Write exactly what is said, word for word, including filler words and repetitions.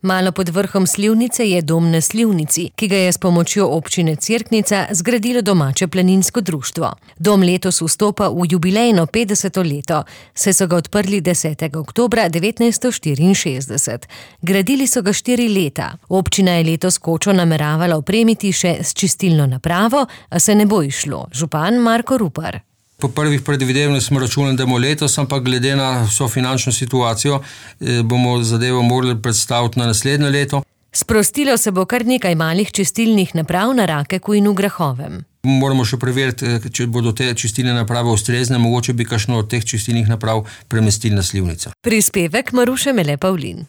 Malo pod vrhom Slivnice je dom na Slivnici, ki ga je s pomočjo občine Cerknica zgradilo domače planinsko društvo. Dom letos vstopa v jubilejno petdeseto leto, saj so ga odprli desetega oktobra devetnajststo štiriinšestdeset. Gradili so ga štiri leta. Občina je letos kočo nameravala opremiti še s čistilno napravo, a se ne bo izšlo. Župan Marko Rupar. Po prvih predvidevanjih smo računali, da bomo letos, ampak glede na vso finančno situacijo bomo zadevo morali predstaviti na naslednje leto. Sprostilo se bo kar nekaj malih čistilnih naprav na Rakeku in v Grahovem. Moramo še preveriti, če bodo te čistilne naprave ustrezne, mogoče bi kakšno od teh čistilnih naprav premestili na Slivnico. Prispevek Maruše Mele Pavlin.